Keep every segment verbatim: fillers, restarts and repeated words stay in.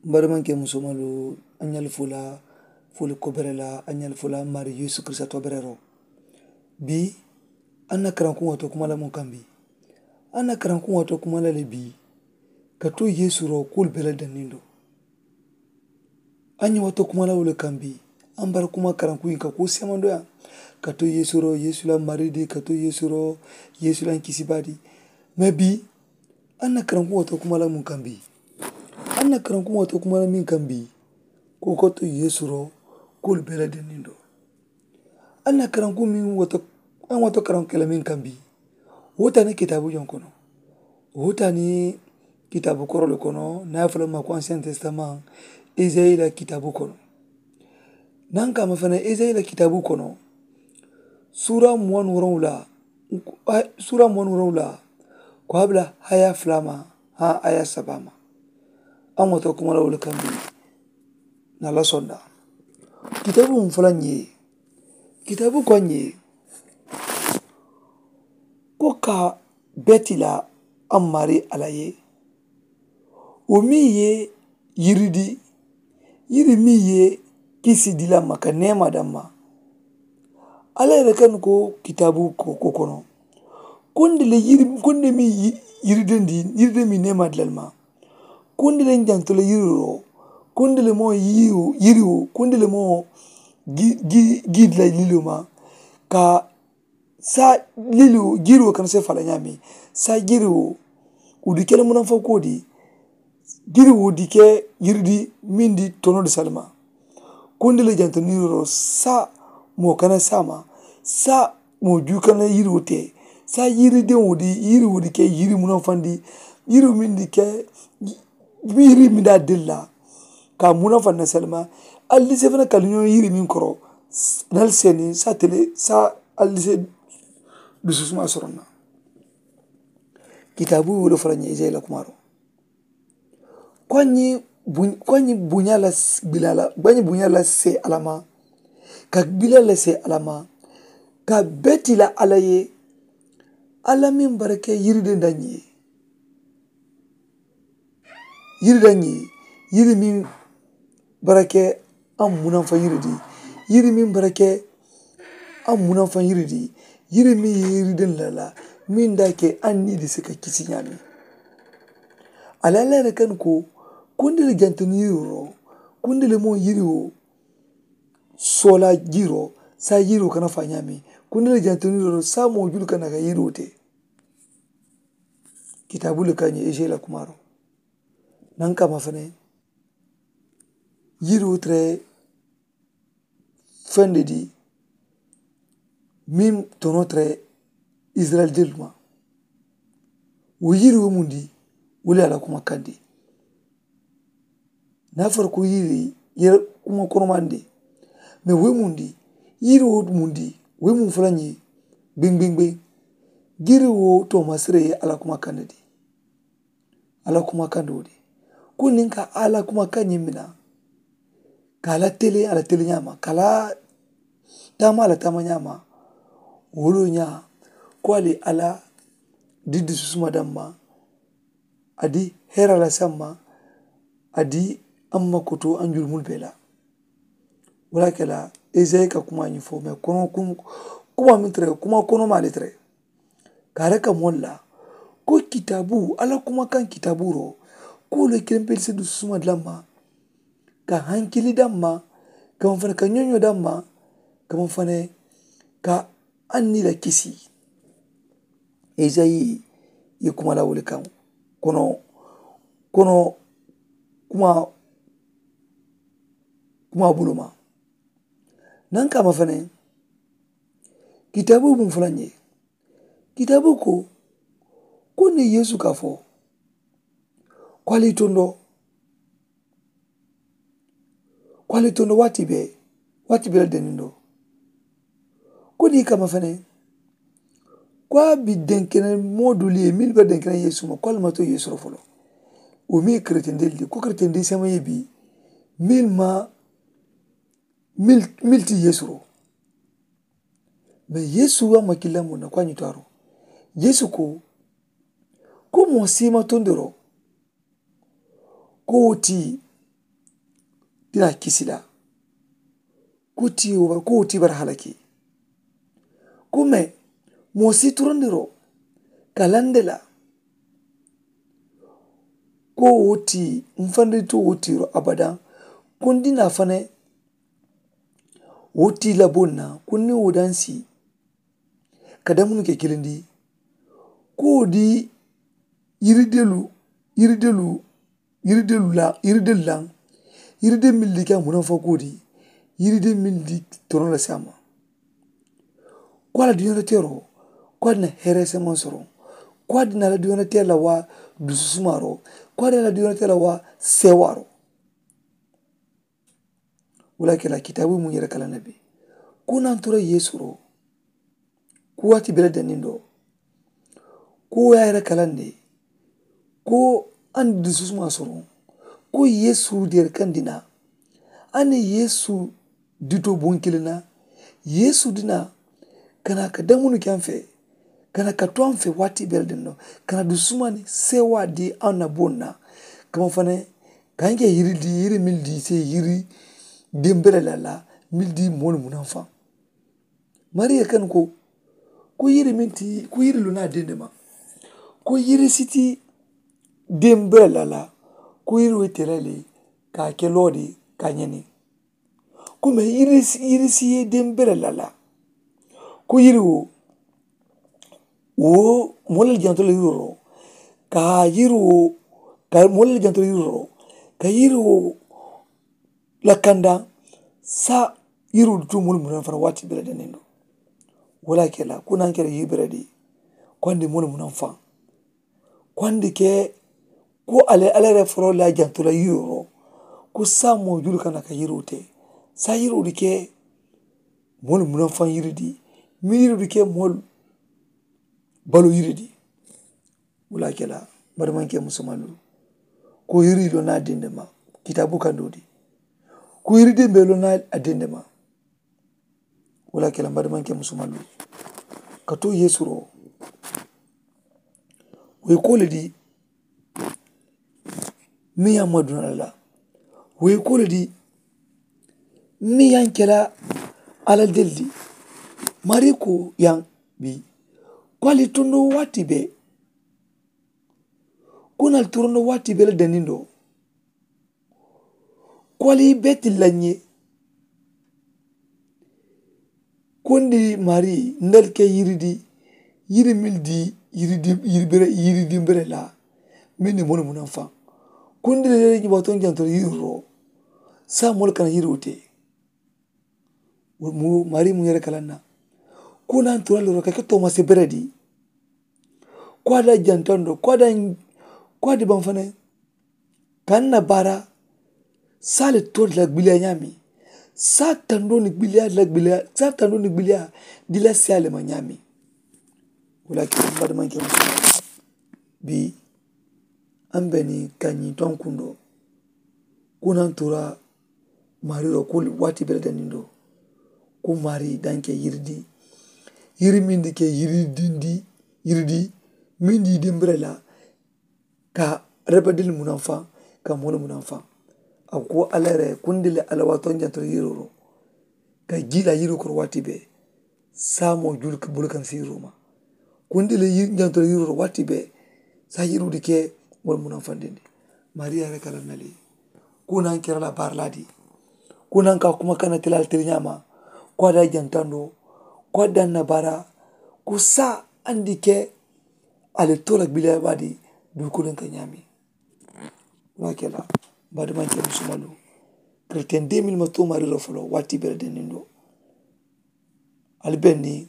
N barimaŋ ke musomalu, a ñali fula fuli kobere la a ñali fula mari yesu kirista tobere ro. Bi a na karankuŋo to kuma la mun kambi? A na karankuŋo to kuma la le bi ka to yesu ro kul bela dannindo. A ñi wato kuma la wule kambi. An bara kuma karankuŋ ka ku semando ya ka to yesu ro yesu la mari di ka to yesu ro yesu la kisiba di. Me bi an na karankuŋo to kuma la mun kambi? An na karankuŋo to kuma la min kambi? Ko ko to yesu ro kul bela dennindo. An na karankuŋ min wato an wato karankuŋ kela min kambi? Wo tani kitabu joŋ kono. Wo tani kitabu korolu kono na ye fula ma ko ancien testament. Isayi la kitabu kono. Nan kama fana isayi la kitabu kono. Sura muwan woroŋ wula sura muwan woroŋ wula ko a bila haya fula ma ha aya saba ma. An wato kuma la wala kambi. Na la sonda kitabu mun fula ñe kitabu ko ñe ko ka beti la an mari ala ye. Wo miŋ ye yiri di yiri miŋ ye kisi di la ma ka neema daŋ ma. Alla ye le kanu ko kitaabu ko kono. Kundi le yiri kundi miŋ yiri dendi yiri dendi miŋ neema di la le ma. Kundi le n janto le yiri ro kundi le moo yiri wo kundi le moo gii di la lilo ma. Ka saa lili wo jiiri wo kana se fala ñaami saa jiiri wo. Wo di kele munaŋ fo ko di jiiri wo di ke yiri di miŋ di tono di salima. Kundi le janto niiro saa moo kana saama saa moo juu kana yiri wo te. Saa yiri deŋ wo di yiri wo di ke yiri munaŋ fandi yiri miŋ di ke yiri miŋ daa dilla. Ka munaŋ fandi na salima ali di se fana kaliñoo yiri miŋ koro. Nali seeni saa tele saa ali di se dusu suma soroŋ na. Kitaabu wulu fo la ñe isayila kumaaro. Ko a ñi buña la bila la ko a ñi buña la se alama ka bila la se alama. Ka beti la ala ye ala miŋ barake yiri de nda ñi ye. Yiri da ñi yiri miŋ barake a munaŋ fa yiri di. Yiri miŋ barake a munaŋ fa yiri di. Yiri miŋ ye yiri de nda la miŋ da ke a ni di se ka kisi ñaami. Ala la yere kan ko kundi le jantoni yiri ro kundi le mo yiri wo. Sola jiro sa yiri wo kana fa ñaami kundi le jantoni yiri ro sa mo julu kana ka yiri wo te. Kitaabu le ka ñe ise la kumaaro. Naŋ kama fene yiri wo tere fende di miŋ tono tere isirayil jelu ma. Wo yiri wo mundi wo le ala kuma kandi. Niŋ a fara ko yiri yere kuma konomaŋ de. Mee wo ye mundi yiri wo mundi wo ye muŋ fula ñe. Gbeŋ gbeŋ gbeŋ yiri wo toomasire ye ala kuma kandi de. Ala kuma kandi wo de ko niŋ ka ala kuma kandi mina ka ala tele ala tele ñaama ka ala taama ala taama ñaama. Wo lo ñaa ko ali ala di dususuma damma. A di hera la samma a di amma koto an julumul bela. Wala kela esayi ka kuma ñi fo me kono kuma min tere kuma kono mali tere. Kare ka molla ko kitabu ala kuma kan kitabu ro ko le kempel se dususuma damma. Ka hankili damma kama fane ka ñoño damma kama fane ka an ni la kisi. Esayi ye kuma la wuli kaŋ kono kono kuma kuma buluma. Naŋ kama fanaŋ kitaabu buŋ fula ñe kitaabu ko ko ni yeesu ka fo ko ali tondo ko ali tondo waati be waati be la denindo. Ko ni kama fanaŋ ko a bi denkene moo duli ye mil be denkene yeesu ma ko ali ma to yeesu ro folo. Wo mi keretendeli de ko keretendeli sama ye bi mil ma mil ti yeesu ro. Mee yeesu wa ma kila mun na ko a ñi to a ro yeesu ko ko moo siima tondoro ko wo ti ti naa kisi la. Ko tii wo bara ko wo tii bara halaki. Ko mee moo si turandiroo ka lande la ko wo tii mfandiritu wo tiiro abadaŋ. Ko ndi naa fane wo tii laboo na ko ndi wo dansi ka damunu ke kilindi ko wo di yiri delu yiri delu yiri delu la yiri delu laŋ yiri de mili di ka munaŋ fo ko wo di yiri de mili di toroŋ la si a ma. Ko a la duñaata teeroo ko a dina heereesemaŋ soroŋ ko a dina a la duñaata teeri la waa dususumaaroo ko a dina a la duñaata teeri la waa seewaaroo. Wo le ye a ke la kitaabu mu yere kala nabi ko naŋ tora yeesu ro ko waati bele danindo ko wo ye a yere kalande ko a ni dususumaŋ soroŋ ko yeesu diyere kaŋ dina a ni yeesu dito buŋ kiliŋ na yeesu dina kana ka damunu ke a fe kana ka to a fe waati bele danindo kana dususumaŋ ni seewa di a na buŋ na kama fanaŋ ka nke yiri di yiri mili di se yiri dimbere la la mili di moolu munaŋ faŋ. Mariya kanu ko ko yiri meŋ ti ko yiri lona dende ma ko yiri siti dembere la la ko yiri wo tela le ka a ke loodi ka ñeni ko me yiri yiri si ye dembere la la ko yiri wo wo moo le janto la yiro ro ka yiri wo ka moo le janto la yiro ro ka yiri wo la kanda sa yiro du tu mulu munan fana wati bela danindo. Wala kela kuna kela yibere di kwandi mulu munan fan kwandi ke ko ale alere foro la janto la yiro ro ko sa mo julu kana ka yiro te sa yiro di ke mulu munan fan yiri di mi yiro di ke mulu balo yiri di. Wala kela bari man ke musumalu ko yiri lo na dende ma kitabu kando di ko yiri de be lo na a dende ma. Wala kela bari man ke musumalu ka to yesu ro wo ye ko le di mi ya ma duna la wo ye ko le di mi ya kela ala del di mari ko ya bi ko ali tondo wati be ko nal torondo wati be le danindo ko ali beti lañe. Ko ndi mari ndal ke yiri di yiri mil di yiri di yiri bere yiri di bere la min ni moni munan fan ko ndi le ñi baton jantor yiri ro sa mol kana yiri wote. Mu mari mu yere kalanna ko nan tura loro ka ke tomase bere di ko ada jantando ko ada ko adi ban fane. Ka n na baara saa le to la gbiliya ñaami saa tandoo ni gbiliya la gbiliya saa tandoo ni gbiliya di la siya le ma ñaami. Wala ke n badimanke musulman bi an be ni ka ñiŋ toŋ kundoo ko naŋ tura maari ro ko waati bele danindo ko maari danke yiridi yiri mindi ke yiridi yiridi mindi dimbire la ka rebedil munan faŋ ka moolu munan faŋ. A ko alla yere kundi le alla waato ñanto yiroro ka jila yiru koro waati be saamo julu ka bulu kan si yiruma kundi le ñanto yiroro waati be sa yirudi ke moolu munan faŋ dindi. Maria yere kala nali ko nan kera la barla di ko nan ka kuma kana tilal tiri ñama ko ada jantando ko ada nabara ko sa andi ke ale tola gbiliya badi dukulen ka ñaami. Wala kela badimanke musumalu kreten de mil ma to mariro folo wati bere denindo. Ali benni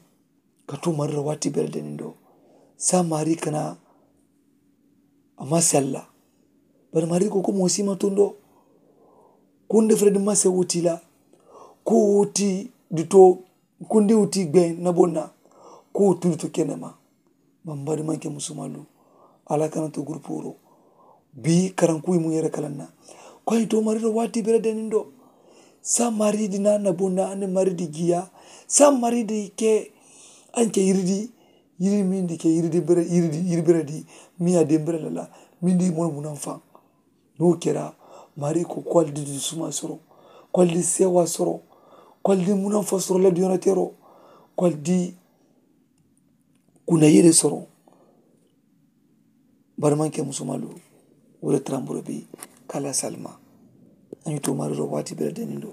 ka to mariro wati bere denindo sa mari kana a ma sella. Bari mari ko ko mosi ma tundo kunde fere di ma se wutila ko wuti duto kundi wuti gbe na bonna ko wuti duto kenema. Mambadi manke musumalu ala kana to gurupuro bi karankuyi mu yere kalanna ko ayi to mariro wati bere denindo. Sa maridi na na bonna ane maridi giya sa maridi ke anke yiridi yiri mindi ke yiridi bere yiridi yiri bere di miya de bere lala mindi mono munan fan. N'o kera mari ko kwali di suma soro ko ali di seewaa soroŋ, ko ali di munanfasoroŋ la diyoonoteeroo, ko ali di kunayiree soroŋ. Barimankee musumalu, wo le taramburoo bi ka a lasi ali ma. A ñiŋ toomaariroo waati bee la deniŋ do,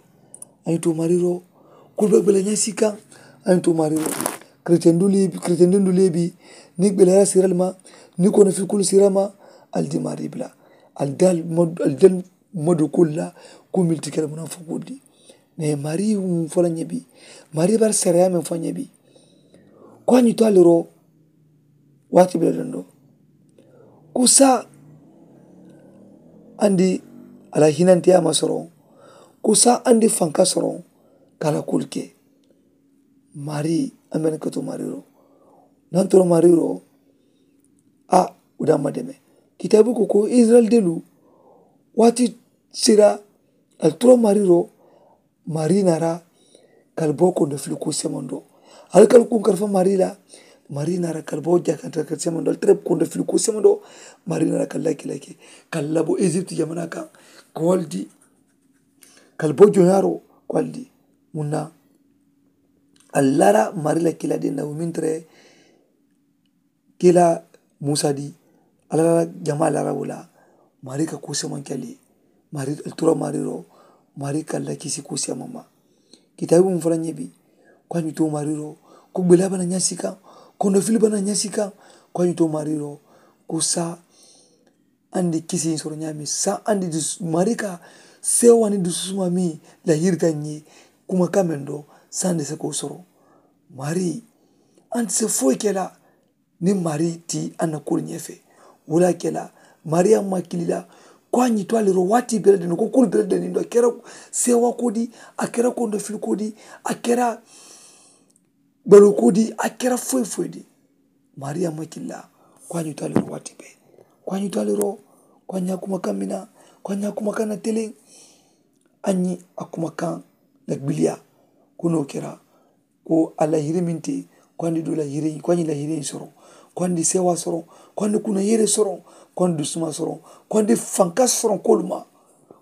a ñiŋ toomaariroo kulu be bula ñaŋ sii kaŋ. A ñiŋ toomaariroo keretendiŋolu ye bi keretendiŋolu ye bi niŋ gbelaara siira le ma, niŋ kono filikulu siira ma, ali di maarii bula. Ali di ali ma ali di ali ma doo kulu la kuu mili ti kela munaŋ fo kuu di. Mee maarii mu fo la ñe bi, maarii bari sariyaa meŋ fo ñe bi, ko a ñiŋ to ali roo waati bee la dondo, ko saa andi a la hinantiyaa ma soroŋ, ko saa andi fanka soroŋ ka a la kuulu ke. Maarii a mene ka to maarii roo, naŋ to maarii roo. A wo daŋ ma deme. Kitaabu ko ko isirayila delu waati sira ali turo maarii roo. Maarii naara ka ali bo kondo fili kuu semandoo, ali ka ali kuŋ kalifa maarii la. Maarii naara ka ali bo jakanta ka semandoo ali tara kondo fili kuu semandoo. Maarii naara ka ali laki laki ka ali labo isirayila jamanaa kaŋ, ka wo ali di ka ali bo joñaaroo, ko ali di muŋ na ali laara maarii la kiilaa diŋ na wo meŋ tara ye kiilaa muusa di, alla la jamaa laara wo la. Maarii ka kuu semanke ali ye. Maarii ali tura maarii roo. Maarii ka alla kisi kuu seman ma. Kitaabi mu fo la ñe bi, ko a ñiŋ to maarii roo, ko gbelaa bana ñasi kaŋ, kondo fili bana ñasi kaŋ, ko a ñiŋ to maarii roo, ko saa andi kisiŋ soro ñaami saa andi maarii ka seewa ni dususuma mi la yirita ñi kuma kamen do sandi se ko soro. Maarii andi se foyi kela ni maarii ti anna kulu ñefe. Wala kela maarii amma kilila ko a ñi to aliro wati bela deno ko kulu bela deno do kera seewa kodi, a kera kondo fil kodi, a kera balo kodi, a kera foyi foyi di. Maarii a maŋ kili la ko a ñiŋ to a le ro waati bee. Ko a ñiŋ to a le ro, ko a ñiŋ a kuma kaŋ mina, ko a ñiŋ a kuma kaŋ na teleŋ. A ñiŋ a kuma kaŋ la gbiliya ko n'o kera, ko a la yiri meŋ te, ko a ni du la yiri ko a ñiŋ la yiri soroŋ, ko a ni seewa soroŋ, ko a ni kuna yiri soroŋ, ko a ni dusuma soroŋ, ko a ni fanka soroŋ kolu ma.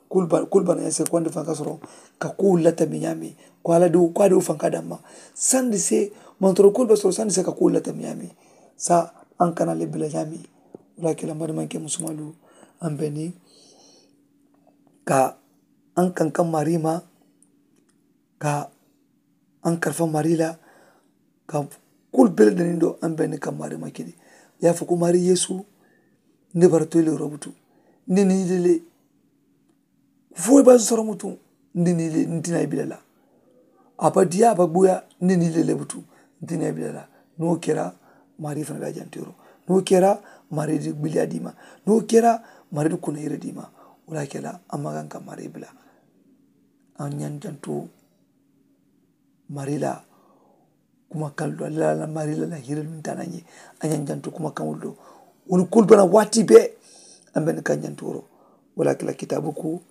Kulu bana ñaŋ se ko a ni fanka soroŋ ka kuwolu lata miŋ ñaami, ko a la diwo ko a diwo fanka damma. Sandi se mantoro kulu be soroŋ sandi se ka kuwolu lata miŋ ñaami. Sa aŋ kana le bila ñaami. Wala kela madimanke musumalu, aŋ be ni ka aŋ kaŋ ka mari ma ka aŋ kalifa mari la ka kulu bele dani do aŋ be ni ka mari ma kili. Ya fo ko mari yesu, nde bara toy le robutu nde ni lele. Foyi ba soro mutu nde ni le ntina ibila la. A ba diya a ba buya nde ni le lebutu ntina ibila la. No kera mari fana da jantero. No kera mari di biliya dima. No kera mari di kuna ire dima. Wala kela amagan ka mari bila. An ñan janto mari la kuma kallu alla la mari la la hiri luŋ tana ñe. A ñaŋ janto kuma kaŋolu do wolu kulu bana waati bee. An be ni kaŋ janto ro wala kila kitaabu ku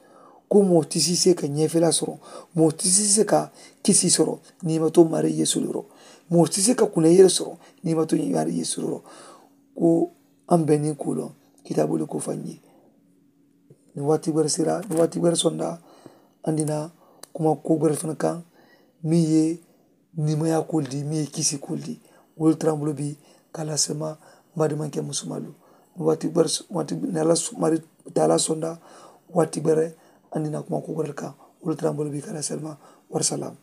ko moo ti siisee ka ñeefela soro, moo ti siisee ka kisi soro, niimato mari yesu lu ro, moo ti siisee ka kuna yere soro, niimato mari yesu lu ro. Ko an be ni kulo kitaabu lu ko faŋ ñe. Ni waati bere sira ni waati bere sonda andina kuma ko bere fana kaŋ mi ye nimayaa kulu di mi ye kisi kulu di. Wolu tarambulo bi kala sema mbadi manke musumalu ni waati bere waati ni ala mari taala sonda waati bere andina kuma ko bere kaŋ. Wolu tarambulo bi kala sema. Wari salam.